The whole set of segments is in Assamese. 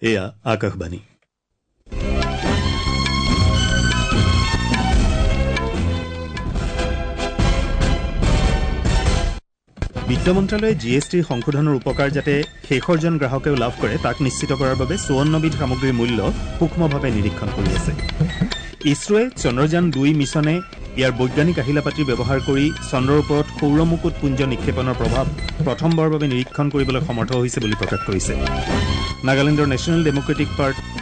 এয়া আকাশবাণী। বিত্ত মন্ত্ৰালয়ে জি এছ টিৰ সংশোধনৰ উপকাৰ যাতে শেষৰজন গ্ৰাহকেও লাভ কৰে তাক নিশ্চিত কৰাৰ বাবে ৫৪বিধ সামগ্ৰীৰ মূল্য সূক্ষ্মভাৱে নিৰীক্ষণ কৰি আছে। ইছৰোৱে চন্দ্ৰযান ২ মিছনে ইয়াৰ বৈজ্ঞানিক আহিলাপাতি ব্যৱহাৰ কৰি চন্দ্ৰৰ ওপৰত সৌৰমুকুট পুঞ্জ নিক্ষেপণৰ প্ৰভাৱ প্ৰথমবাৰৰ বাবে নিৰীক্ষণ কৰিবলৈ সমৰ্থ হৈছে বুলি প্ৰকাশ কৰিছে। নাগালেণ্ডৰ নেশ্যনেল ডেমক্ৰেটিক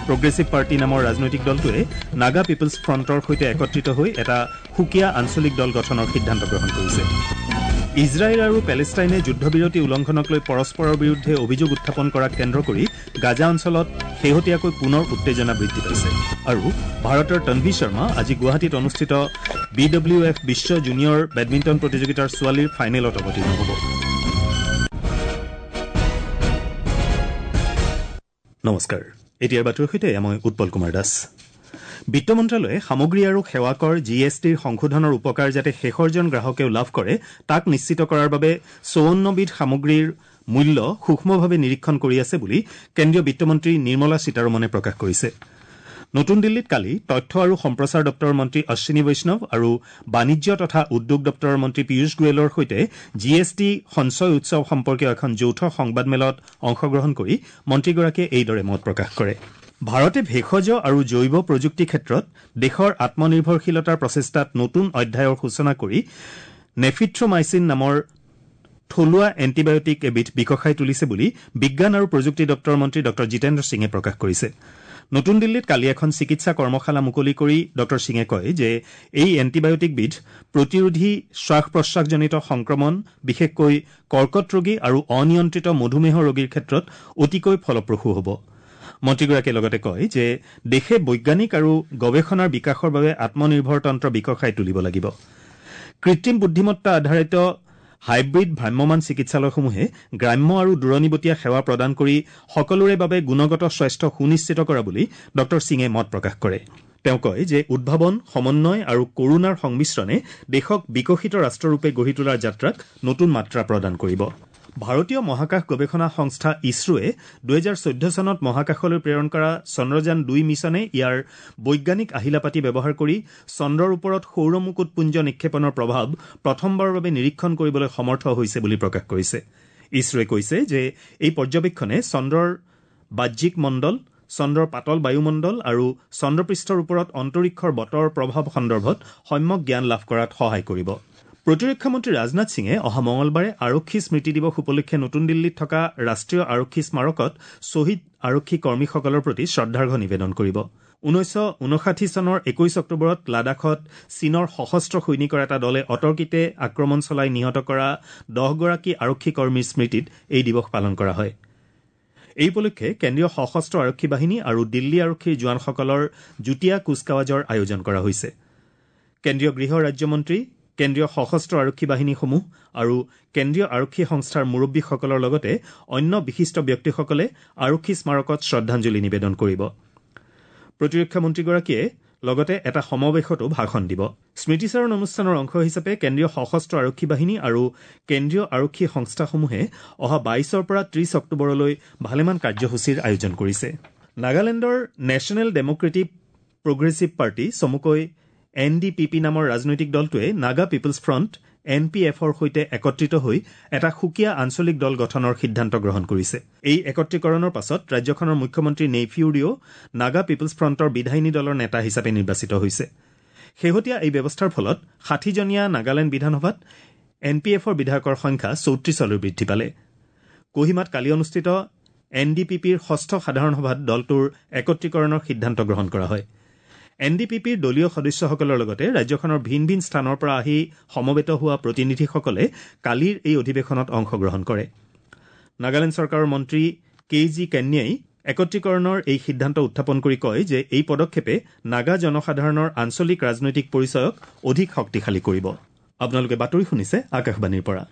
প্ৰগ্ৰেছিভ পাৰ্টি নামৰ ৰাজনৈতিক দলটোৱে নাগা পিপলছ ফ্ৰণ্টৰ সৈতে একত্ৰিত হৈ এটা সুকীয়া আঞ্চলিক দল গঠনৰ সিদ্ধান্ত গ্ৰহণ কৰিছে। ইজৰাইল আৰু পেলেষ্টাইনে যুদ্ধবিৰতি উলংঘনক লৈ পৰস্পৰৰ বিৰুদ্ধে অভিযোগ উত্থাপন কৰাক কেন্দ্ৰ কৰি গাজা অঞ্চলত শেহতীয়াকৈ পুনৰ উত্তেজনা বৃদ্ধি পাইছে। আৰু ভাৰতৰ তনভি শৰ্মা আজি গুৱাহাটীত অনুষ্ঠিত বি ডব্লিউ এফ বিশ্ব জুনিয়ৰ বেডমিণ্টন প্ৰতিযোগিতাৰ ছোৱালীৰ ফাইনেলত অৱতীৰ্ণ হ'ব। নমস্কাৰ, এতিয়াৰ বাতৰিৰ সৈতে মই উৎপল কুমাৰ দাস। বিত্ত মন্ত্ৰালয়ে সামগ্ৰী আৰু সেৱা কৰ জি এছ টিৰ সংশোধনৰ উপকাৰ যাতে শেষৰজন গ্ৰাহকেও লাভ কৰে তাক নিশ্চিত কৰাৰ বাবে ৫৪বিধ সামগ্ৰীৰ মূল্য সূক্ষ্মভাৱে নিৰীক্ষণ কৰি আছে বুলি কেন্দ্ৰীয় বিত্তমন্ত্ৰী নিৰ্মলা সীতাৰমণে প্ৰকাশ কৰিছে। নতুন দিল্লীত কালি তথ্য আৰু সম্প্ৰচাৰ দপ্তৰৰ মন্ত্ৰী অশ্বিনী বৈষ্ণৱ আৰু বাণিজ্য তথা উদ্যোগ দপ্তৰৰ মন্ত্ৰী পীয়ুষ গোৱেলৰ সৈতে জি এছ টি সঞ্চয় উৎসৱ সম্পৰ্কীয় এখন যৌথ সংবাদমেলত অংশগ্ৰহণ কৰি মন্ত্ৰীগৰাকীয়ে এইদৰে মত প্ৰকাশ কৰে। ভাৰতে ভেষজ আৰু জৈৱ প্ৰযুক্তি ক্ষেত্ৰত দেশৰ আত্মনিৰ্ভৰশীলতাৰ প্ৰচেষ্টাত নতুন অধ্যায়ৰ সূচনা কৰি নেফিথ্ৰমাইচিন নামৰ থলুৱা এণ্টিবায়টিক এবিধ বিকশাই তুলিছে বুলি বিজ্ঞান আৰু প্ৰযুক্তি দপ্তৰৰ মন্ত্ৰী ডঃ জিতেন্দ্ৰ সিঙে প্ৰকাশ কৰিছে। নতুন দিল্লীত কালি এখন চিকিৎসা কৰ্মশালা মুকলি কৰি ডঃ সিঙে কয় যে এই এণ্টিবায়টিকবিধ প্ৰতিৰোধী শ্বাস প্ৰশ্বাসজনিত সংক্ৰমণ, বিশেষকৈ কৰ্কট ৰোগী আৰু অনিয়ন্ত্ৰিত মধুমেহ ৰোগীৰ ক্ষেত্ৰত অতিকৈ ফলপ্ৰসূ হ'ব। মন্ত্ৰীগৰাকীয়ে লগতে কয় যে দেশে বৈজ্ঞানিক আৰু গৱেষণাৰ বিকাশৰ বাবে আত্মনিৰ্ভৰ তন্ত্ৰ বিকশাই তুলিব লাগিব। কৃত্ৰিম বুদ্ধিমত্তা আধাৰিত হাইব্ৰিড ভ্ৰাম্যমাণ চিকিৎসালয়সমূহে গ্ৰাম্য আৰু দূৰণিবটীয়া সেৱা প্ৰদান কৰি সকলোৰে বাবে গুণগত স্বাস্থ্য সুনিশ্চিত কৰা বুলি ডঃ সিঙে মত প্ৰকাশ কৰে। তেওঁ কয় যে উদ্ভাৱন, সমন্বয় আৰু কৰুণাৰ সংমিশ্ৰণে দেশক বিকশিত ৰাষ্ট্ৰৰূপে গঢ়ি তোলাৰ যাত্ৰাক নতুন মাত্ৰা প্ৰদান কৰিব। ভাৰতীয় মহাকাশ গৱেষণা সংস্থা ইছৰোৱে ২০১৪ চনত মহাকাশলৈ প্ৰেৰণ কৰা চন্দ্ৰযান ২ মিছনে ইয়াৰ বৈজ্ঞানিক আহিলাপাতি ব্যৱহাৰ কৰি চন্দ্ৰৰ ওপৰত সৌৰমুকুট পুঞ্জ নিক্ষেপণৰ প্ৰভাৱ প্ৰথমবাৰৰ বাবে নিৰীক্ষণ কৰিবলৈ সমৰ্থ হৈছে বুলি প্ৰকাশ কৰিছে। ইছৰোৱে কৈছে যে এই পৰ্যবেক্ষণে চন্দ্ৰৰ বাহ্যিক মণ্ডল, চন্দ্ৰৰ পাতল বায়ুমণ্ডল আৰু চন্দ্ৰপৃষ্ঠৰ ওপৰত অন্তৰীক্ষৰ বতৰৰ প্ৰভাৱ সন্দৰ্ভত সম্যক জ্ঞান লাভ কৰাত সহায় কৰিব। প্ৰতিৰক্ষা মন্ত্ৰী ৰাজনাথ সিঙে অহা মঙলবাৰে আৰক্ষী স্মৃতি দিৱস উপলক্ষে নতুন দিল্লীত থকা ৰাষ্ট্ৰীয় আৰক্ষী স্মাৰকত শ্বহীদ আৰক্ষী কৰ্মীসকলৰ প্ৰতি শ্ৰদ্ধাৰ্ঘ নিবেদন কৰিব। ১৯৫৯ চনৰ ২১ অক্টোবৰত লাডাখত চীনৰ সশস্ত্ৰ সৈনিকৰ এটা দলে অতৰ্কিতে আক্ৰমণ চলাই নিহত কৰা ১০গৰাকী আৰক্ষী কৰ্মীৰ স্মৃতিত এই দিৱস পালন কৰা হয়। এই উপলক্ষে কেন্দ্ৰীয় সশস্ত্ৰ আৰক্ষী বাহিনী আৰু দিল্লী আৰক্ষীৰ জোৱানসকলৰ যুটীয়া কুচকাৱাজৰ আয়োজন কৰা হৈছে। কেন্দ্ৰীয় গৃহ ৰাজ্যমন্ত্ৰী, কেন্দ্ৰীয় সশস্ত্ৰ আৰক্ষী বাহিনীসমূহ আৰু কেন্দ্ৰীয় আৰক্ষী সংস্থাৰ মুৰব্বীসকলৰ লগতে অন্য বিশিষ্ট ব্যক্তিসকলে আৰক্ষী স্মাৰকত শ্ৰদ্ধাঞ্জলি নিবেদন কৰিব। প্ৰতিৰক্ষা মন্ত্ৰীগৰাকীয়ে লগতে এটা সমাৱেশতো ভাষণ দিব। স্মৃতিচাৰণ অনুষ্ঠানৰ অংশ হিচাপে কেন্দ্ৰীয় সশস্ত্ৰ আৰক্ষী বাহিনী আৰু কেন্দ্ৰীয় আৰক্ষী সংস্থাসমূহে অহা ২২ৰ পৰা ৩০ অক্টোবৰলৈ ভালেমান কাৰ্যসূচীৰ আয়োজন কৰিছে। নাগালেণ্ডৰ নেশ্যনেল ডেমক্ৰেটিক প্ৰগ্ৰেছিভ পাৰ্টি চমুকৈ এন ডি পি পি নামৰ ৰাজনৈতিক দলটোৱে Naga People's Front N P এফৰ সৈতে একত্ৰিত হৈ এটা সুকীয়া আঞ্চলিক দল গঠনৰ সিদ্ধান্ত গ্ৰহণ কৰিছে। এই একত্ৰীকৰণৰ পাছত ৰাজ্যখনৰ মুখ্যমন্ত্ৰী নেইফিউ ৰিঅ' নাগা পিপলছ ফ্ৰণ্টৰ বিধায়িনী দলৰ নেতা হিচাপে নিৰ্বাচিত হৈছে। শেহতীয়া এই ব্যৱস্থাৰ ফলত ৬০জনীয়া নাগালেণ্ড বিধানসভাত এন পি এফৰ বিধায়কৰ সংখ্যা ৩৪লৈ বৃদ্ধি পালে। কোহিমাত কালি অনুষ্ঠিত এন ডি পি পিৰ ষষ্ঠ সাধাৰণ সভাত দলটোৰ একত্ৰীকৰণৰ সিদ্ধান্ত গ্ৰহণ কৰা হয়। এন ডি পি পিৰ দলীয় সদস্যসকলৰ লগতে ৰাজ্যখনৰ ভিন ভিন স্থানৰ পৰা আহি সমবেত হোৱা প্ৰতিনিধিসকলে কালিৰ এই অধিৱেশনত অংশগ্ৰহণ কৰে। নাগালেণ্ড চৰকাৰৰ মন্ত্ৰী কে জি কেন্যাই একত্ৰীকৰণৰ এই সিদ্ধান্ত উত্থাপন কৰি কয় যে এই পদক্ষেপে নাগা জনসাধাৰণৰ আঞ্চলিক ৰাজনৈতিক পৰিচয়ক অধিক শক্তিশালী কৰিব। আপোনালোকে বাতৰি শুনিছে আকাশবাণীৰ পৰা।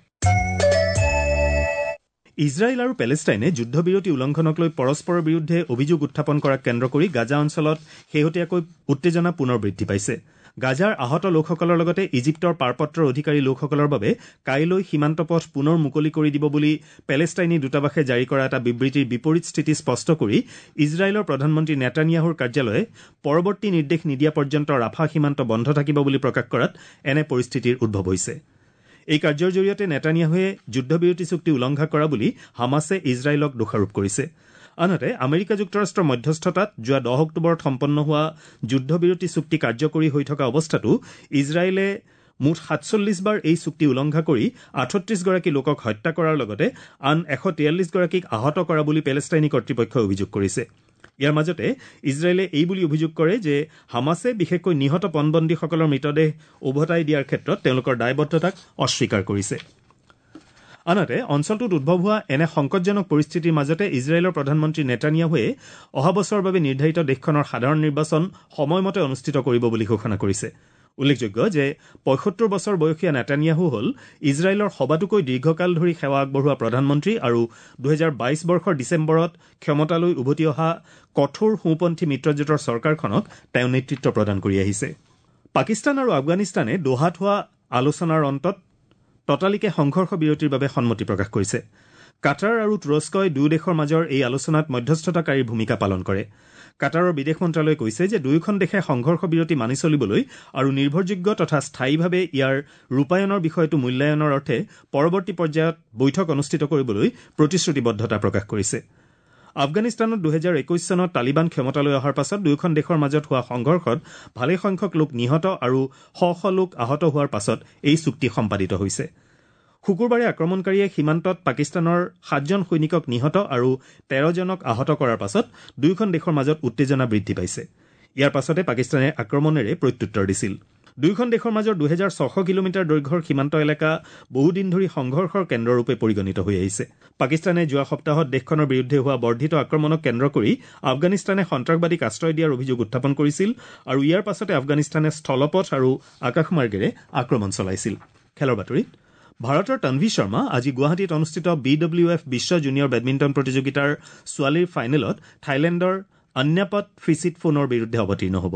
ইজৰাইল আৰু পেলেষ্টাইনে যুদ্ধবিৰতি উলংঘনক লৈ পৰস্পৰৰ বিৰুদ্ধে অভিযোগ উত্থাপন কৰাক কেন্দ্ৰ কৰি গাজা অঞ্চলত শেহতীয়াকৈ উত্তেজনা পুনৰ বৃদ্ধি পাইছে। গাজাৰ আহত লোকসকলৰ লগতে ইজিপ্তৰ পাৰপত্ৰৰ অধিকাৰী লোকসকলৰ বাবে কাইলৈ সীমান্ত পথ পুনৰ মুকলি কৰি দিব বুলি পেলেষ্টাইনী দূতাবাসে জাৰি কৰা এটা বিবৃতিৰ বিপৰীত স্থিতি স্পষ্ট কৰি ইজৰাইলৰ প্ৰধানমন্ত্ৰী নেতানিয়াহুৰ কাৰ্যালয়ে পৰৱৰ্তী নিৰ্দেশ নিদিয়া পৰ্যন্ত ৰাফা সীমান্ত বন্ধ থাকিব বুলি প্ৰকাশ কৰাত এনে পৰিস্থিতিৰ উদ্ভৱ হৈছে। এই কাৰ্যৰ জৰিয়তে নেতানিয়াহুৱে যুদ্ধবিৰতি চুক্তি উলংঘা কৰা বুলি হামাছে ইজৰাইলক দোষাৰোপ কৰিছে। আনহাতে আমেৰিকা যুক্তৰাষ্ট্ৰৰ মধ্যস্থতাত যোৱা 10 অক্টোবৰত সম্পন্ন হোৱা যুদ্ধবিৰতি চুক্তি কাৰ্যকৰী হৈ থকা অৱস্থাতো ইজৰাইলে মুঠ 47 বাৰ এই চুক্তি উলংঘা কৰি 38 গৰাকী লোকক হত্যা কৰাৰ লগতে আন 143 গৰাকীক আহত কৰা বুলি পেলেষ্টাইনী কৰ্তৃপক্ষই অভিযোগ কৰিছে। ইয়াৰ মাজতে ইজৰাইলে এই বুলি অভিযোগ কৰে যে হামাছে বিশেষকৈ নিহত পণবন্দীসকলৰ মৃতদেহ ওভতাই দিয়াৰ ক্ষেত্ৰত তেওঁলোকৰ দায়বদ্ধতাক অস্বীকাৰ কৰিছে। আনহাতে অঞ্চলটোত উদ্ভৱ হোৱা এনে সংকটজনক পৰিস্থিতিৰ মাজতে ইজৰাইলৰ প্ৰধানমন্ত্ৰী নেতানিয়াহুৱে অহা বছৰৰ বাবে নিৰ্ধাৰিত দেশখনৰ সাধাৰণ নিৰ্বাচন সময়মতে অনুষ্ঠিত কৰিব বুলি ঘোষণা কৰিছে। উল্লেখযোগ্য যে 75 বছৰ বয়সীয়া নেতানিয়াহু হ'ল ইজৰাইলৰ সবাতোকৈ দীৰ্ঘকাল ধৰি সেৱা আগবঢ়োৱা প্ৰধানমন্ত্ৰী আৰু 2022 বৰ্ষৰ ডিচেম্বৰত ক্ষমতালৈ উভতি অহা কঠোৰ সোঁপন্থী মিত্ৰজোঁটৰ চৰকাৰখনক তেওঁ নেতৃত্ব প্ৰদান কৰি আহিছে। পাকিস্তান আৰু আফগানিস্তানে দোহাত হোৱা আলোচনাৰ অন্তত ততালিকে সংঘৰ্ষ বিৰতিৰ বাবে সন্মতি প্ৰকাশ কৰিছে। কাটাৰ আৰু তুৰস্কই দুয়ো দেশৰ মাজৰ এই আলোচনাত মধ্যস্থতাকাৰীৰ ভূমিকা পালন কৰে। কাটাৰৰ বিদেশ মন্ত্ৰালয়ে কৈছে যে দুয়োখন দেশে সংঘৰ্ষ বিৰতি মানি চলিবলৈ আৰু নিৰ্ভৰযোগ্য তথা স্থায়ীভাৱে ইয়াৰ ৰূপায়ণৰ বিষয়টো মূল্যায়নৰ অৰ্থে পৰৱৰ্তী পৰ্যায়ত বৈঠক অনুষ্ঠিত কৰিবলৈ প্ৰতিশ্ৰুতিবদ্ধতা প্ৰকাশ কৰিছে। আফগানিস্তানত 2021 চনত তালিবান ক্ষমতালৈ অহাৰ পাছত দুয়োখন দেশৰ মাজত হোৱা সংঘৰ্ষত ভালেসংখ্যক লোক নিহত আৰু শ শ লোক আহত হোৱাৰ পাছত এই চুক্তি সম্পাদিত হৈছে। শুকুৰবাৰে আক্ৰমণকাৰীয়ে সীমান্তত পাকিস্তানৰ 7জন সৈনিকক নিহত আৰু 13জনক আহত কৰাৰ পাছত দুয়োখন দেশৰ মাজত উত্তেজনা বৃদ্ধি পাইছে। ইয়াৰ পাছতে পাকিস্তানে আক্ৰমণেৰে প্ৰত্যুত্তৰ দিছিল। দুয়োখন দেশৰ মাজৰ 2600 কিলোমিটাৰ দৈৰ্ঘ্যৰ সীমান্ত এলেকা বহুদিন ধৰি সংঘৰ্ষৰ কেন্দ্ৰৰূপে পৰিগণিত হৈ আহিছে। পাকিস্তানে যোৱা সপ্তাহত দেশখনৰ বিৰুদ্ধে হোৱা বৰ্ধিত আক্ৰমণক কেন্দ্ৰ কৰি আফগানিস্তানে সন্ত্ৰাসবাদীক আশ্ৰয় দিয়াৰ অভিযোগ উত্থাপন কৰিছিল আৰু ইয়াৰ পাছতে আফগানিস্তানে স্থলপথ আৰু আকাশমাৰ্গেৰে আক্ৰমণ চলাইছিল। খেলৰ বাতৰিত ভাৰতৰ তনভি শৰ্মা আজি গুৱাহাটীত অনুষ্ঠিত বি ডব্লিউ এফ বিশ্ব জুনিয়ৰ বেডমিণ্টন প্ৰতিযোগিতাৰ ছোৱালীৰ ফাইনেলত থাইলেণ্ডৰ অন্যাপট ফিচিটফোনৰ বিৰুদ্ধে অৱতীৰ্ণ হ'ব।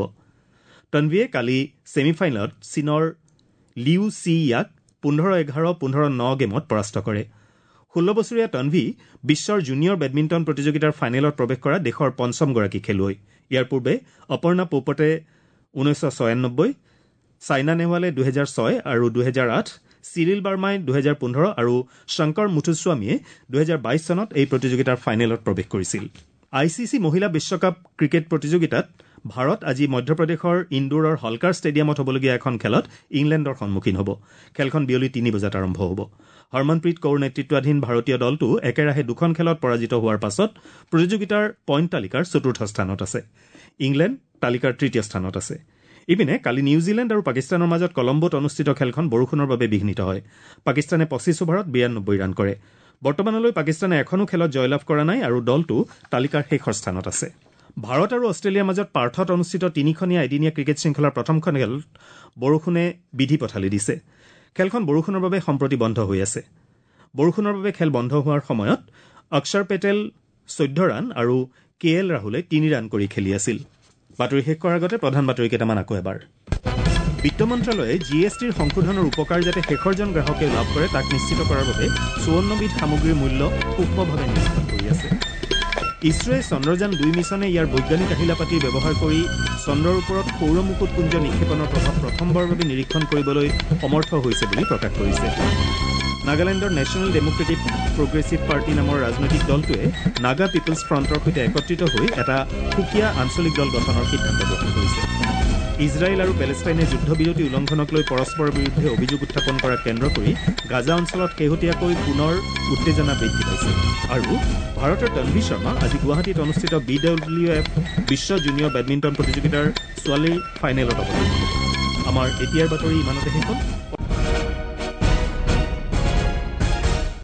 তনভিয়ে কালি ছেমি ফাইনেলত চীনৰ লিউ চি ইয়াক 15-11, 15-9 গেমত পৰাস্ত কৰে। 16 বছৰীয়া তনভি বিশ্বৰ জুনিয়ৰ বেডমিণ্টন প্ৰতিযোগিতাৰ ফাইনেলত প্ৰৱেশ কৰা দেশৰ পঞ্চমগৰাকী খেলুৱৈ। ইয়াৰ পূৰ্বে অপৰ্ণা পোপটে 1996, ছাইনা নেহৱালে 2006 আৰু 2008, চিৰিল বাৰ্মাই 2015 আৰু শংকৰ মুথুস্বামীয়ে 2022 চনত এই প্ৰতিযোগিতাৰ ফাইনেলত প্ৰৱেশ কৰিছিল। I C C মহিলা বিশ্বকাপ ক্ৰিকেট প্ৰতিযোগিতাত ভাৰত আজি মধ্যপ্ৰদেশৰ ইন্দোৰৰ হলকাৰ ষ্টেডিয়ামত হ'বলগীয়া এখন খেলত ইংলেণ্ডৰ সন্মুখীন হ'ব। খেলখন বিয়লি 3 বজাত আৰম্ভ হ'ব। হৰমনপ্ৰীত কৌৰ নেতৃত্বাধীন ভাৰতীয় দলটো একেৰাহে দুখন খেলত পৰাজিত হোৱাৰ পাছত প্ৰতিযোগিতাৰ পইণ্ট তালিকাৰ চতুৰ্থ স্থানত আছে। ইংলেণ্ড তালিকাৰ তৃতীয় স্থানত আছে। ইপিনে কালি নিউজিলেণ্ড আৰু পাকিস্তানৰ মাজত কলম্বোত অনুষ্ঠিত খেলখন বৰষুণৰ বাবে বিঘ্নিত হয়। পাকিস্তানে 25 অভাৰত 92 ৰান কৰে। বৰ্তমানলৈ পাকিস্তানে এখনো খেলত জয়লাভ কৰা নাই আৰু দলটো তালিকাৰ শেষৰ স্থানত আছে। ভাৰত আৰু অষ্ট্ৰেলিয়াৰ মাজত পাৰ্থত অনুষ্ঠিত তিনিখনীয়া এদিনীয়া ক্ৰিকেট শৃংখলাৰ প্ৰথমখন খেলত বৰষুণে বিধি পথালি দিছে। খেলখন বৰষুণৰ বাবে সম্প্ৰতি বন্ধ হৈ আছে। বৰষুণৰ বাবে খেল বন্ধ হোৱাৰ সময়ত অক্ষৰ পেটেল 14 ৰান আৰু কে এল ৰাহুলে 3 ৰান কৰি খেলি আছিল। বাতৰি শেষ কৰাৰ আগতে প্ৰধান বাতৰি কেইটামান আকৌ এবাৰ। বিত্ত মন্ত্ৰালয়ে জি এছ টিৰ সংশোধনৰ উপকাৰ যাতে শেষৰজন গ্ৰাহকে লাভ কৰে তাক নিশ্চিত কৰাৰ বাবে 54বিধ সামগ্ৰীৰ মূল্য সূক্ষ্মভাৱে নিৰীক্ষণ কৰি আছে। ইছৰোৱে চন্দ্ৰযান 2 মিছনে ইয়াৰ বৈজ্ঞানিক আহিলাপাতি ব্যৱহাৰ কৰি চন্দ্ৰৰ ওপৰত সৌৰ মুকুটপুঞ্জ নিক্ষেপণৰ প্ৰভাৱ প্ৰথমবাৰৰ বাবে নিৰীক্ষণ কৰিবলৈ সমৰ্থ হৈছে বুলি প্ৰকাশ কৰিছে। নাগালেণ্ডৰ নেশ্যনেল ডেম'ক্ৰেটিক প্ৰগ্ৰেছিভ পাৰ্টি নামৰ ৰাজনৈতিক দলটোৱে নাগা পিপলছ ফ্ৰণ্টৰ সৈতে একত্ৰিত হৈ এটা সুকীয়া আঞ্চলিক দল গঠনৰ সিদ্ধান্ত গ্ৰহণ কৰিছে। ইজৰাইল আৰু পেলেষ্টাইনে যুদ্ধবিৰতি উলংঘনক লৈ পৰস্পৰৰ বিৰুদ্ধে অভিযোগ উত্থাপন কৰাক কেন্দ্ৰ কৰি গাজা অঞ্চলত শেহতীয়াকৈ পুনৰ উত্তেজনা বৃদ্ধি পাইছে। আৰু ভাৰতৰ তনভি শৰ্মা আজি গুৱাহাটীত অনুষ্ঠিত বি ডব্লিউ এফ বিশ্ব জুনিয়ৰ বেডমিণ্টন প্ৰতিযোগিতাৰ ছোৱালীৰ ফাইনেলত অৱতীৰ্ণ হ'ব। আমাৰ এতিয়াৰ বাতৰি ইমানতে শেষ হ'ল।